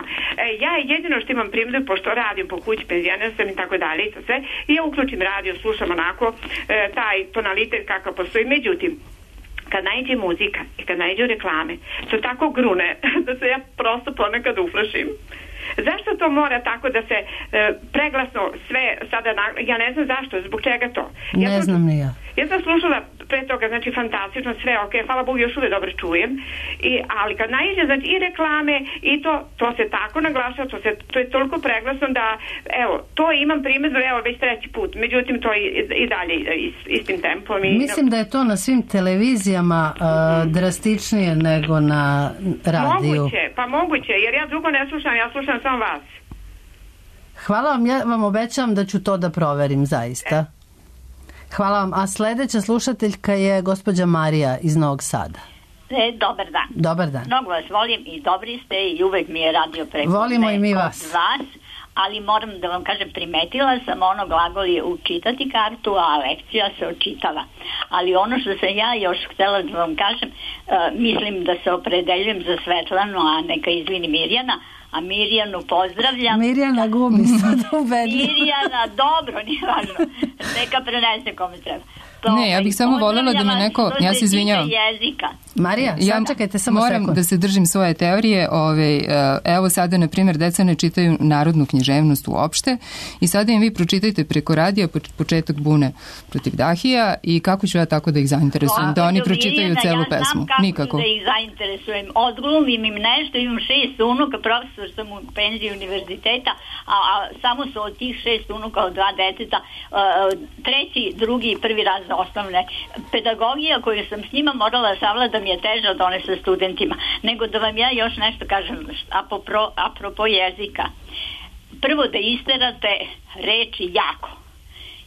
Ja jedino što imam primjeru, pošto radim po kući, penzioner sam i tako dalje i to sve, i ja uključim radio, slušam onako taj tonalitet kakav postoji. Međutim, kad najde muzika i kad najde reklame, su tako grune da se ja prosto ponekad uplašim. Zašto to mora tako da se preglasno sve sada, ja ne znam zašto, zbog čega to? Ne znam ni ja. Ja sam slušala pre toga, znači fantastično, sve ok, hvala Bogu, još uvijek dobro čujem, ali kad naiđe, znači i reklame i to se tako naglašava, to je toliko preglasno da, evo, to imam primjedbu, evo, već treći put, međutim, to i dalje istim tempom. Mislim da je to na svim televizijama drastičnije nego na radiju. Moguće, jer ja drugo ne slušam, ja slušam samo vas. Hvala vam, ja vam obećavam da ću to da proverim zaista. Hvala vam. A sledeća slušateljka je gospođa Marija iz Novog Sada. Dobar dan. Dobar dan. Mnogo vas volim i dobri ste i uvek mi je radio preko volimo i mi vas. Ali moram da vam kažem, primetila sam ono glagol je učitati kartu, a lekcija se očitava. Ali ono što sam ja još htjela da vam kažem, mislim da se opredeljujem za Svetlanu, a neka izvini Mirjana, a Mirjanu pozdravljam. Mirjana gubi sad ubedljivo. Mirjana, dobro, nije važno. Neka prenese kome treba. Ne, ja bih samo voljela da mi neko, ja se izvinjavam. Marija, sačekajte samo sekund. Moram da se držim svoje teorije. Evo sada, na primjer, deca ne čitaju narodnu književnost uopšte i sada im vi pročitajte preko radija početak Bune protiv Dahija i kako ću ja tako da ih zainteresujem, da oni pročitaju celu pesmu? Nikako. Da ih zainteresujem. Odglumim im nešto, imam 6 unuka, profesor sam u penziji univerziteta, a samo su od tih 6 unuka od 2 deteta, treći, drugi i prvi raz osnovne. Pedagogija koju sam s njima morala savladam je teža od one sa studentima. Nego da vam ja još nešto kažem apropo jezika. Prvo da isterate reči jako.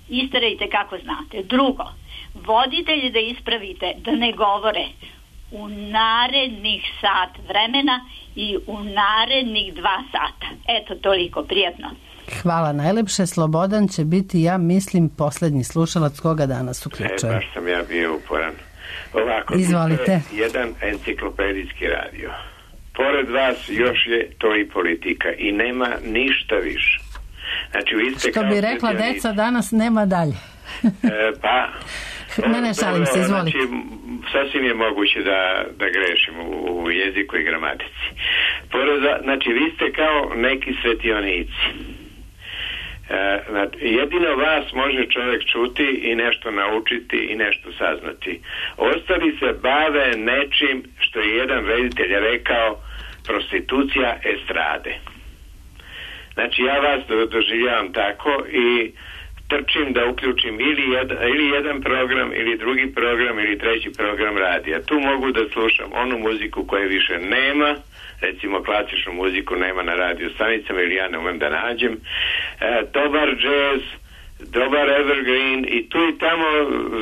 Isterajte kako znate. Drugo, voditelji da ispravite da ne govore u narednih sat vremena i u narednih 2 sata. Eto, toliko, prijatno. Hvala najlepše. Slobodan će biti, ja mislim, posljednji slušalac koga danas uključuje. Baš sam ja bio uporan. Ovako, izvolite. Jedan enciklopedijski radio. Pored vas još je to i politika i nema ništa više. Znači, vi ste što bi rekla deca, danas nema dalje. Ne, šalim se, izvolite. Znači, sasvim je moguće da grešim u jeziku i gramatici. Znači, vi ste kao neki svetionici. Jedino vas može čovjek čuti i nešto naučiti i nešto saznati. Ostali se bave nečim što je jedan reditelj rekao, prostitucija estrade. Znači, ja vas doživljavam tako i trčim da uključim ili jedan program, ili drugi program, ili treći program radija. Tu mogu da slušam onu muziku koje više nema, recimo klasičnu muziku nema na radio stanicama ili ja ne umem da nađem, dobar jazz, dobar evergreen i tu i tamo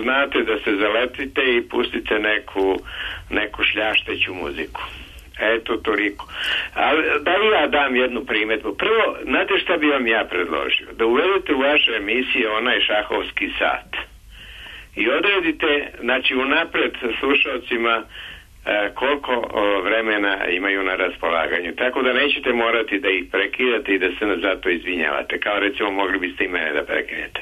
znate da se zaletite i pustite neku šljašteću muziku. Eto, toliko. Ali da li ja dam jednu primjedbu? Prvo, znate šta bi vam ja predložio? Da uvedete u vaše emisije onaj šahovski sat i odredite, znači unapred slušalcima koliko vremena imaju na raspolaganju. Tako da nećete morati da ih prekidate i da se zato izvinjavate. Kao recimo mogli biste i mene da prekinete.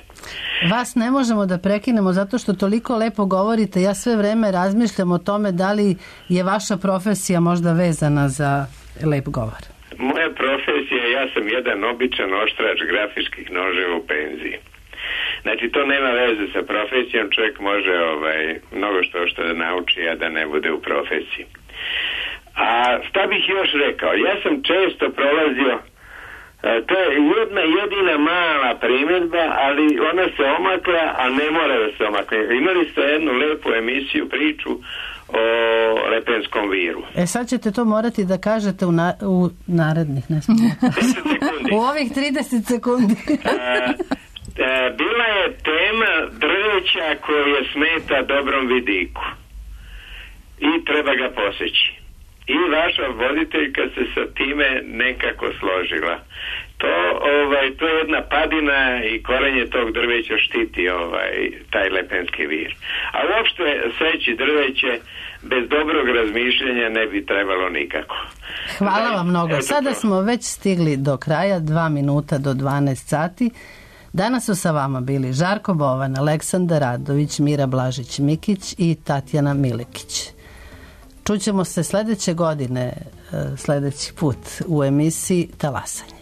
Vas ne možemo da prekinemo zato što toliko lepo govorite. Ja sve vreme razmišljam o tome da li je vaša profesija možda vezana za lep govor. Moja profesija, ja sam jedan običan oštrač grafičkih noževa u penziji. Znači, to nema veze sa profesijom, čovjek može mnogo što da nauči, a da ne bude u profesiji. A šta bih još rekao? Ja sam često prolazio, to je jedna jedina mala primjedba, ali ona se omakla, a ne mora da se omakne. Imali ste jednu lepu emisiju, priču o lepenskom viru. Sad ćete to morati da kažete u narednih, ne znam. 10 sekundi. U ovih 30 sekundi. Bila je tema drveća koje smeta dobrom vidiku i treba ga poseći. I vaša voditeljka se sa time nekako složila. To je jedna padina i korenje tog drveća štiti taj lepenski vir. A uopšte seći drveće bez dobrog razmišljanja ne bi trebalo nikako. Hvala vam mnogo. Sada smo već stigli do kraja, 2 minuta do 12 sati. Danas su sa vama bili Žarko Bovan, Aleksandar Radović, Mira Blažić-Mikić i Tatjana Milekić. Čućemo se sledeće godine, sledeći put u emisiji Talasanje.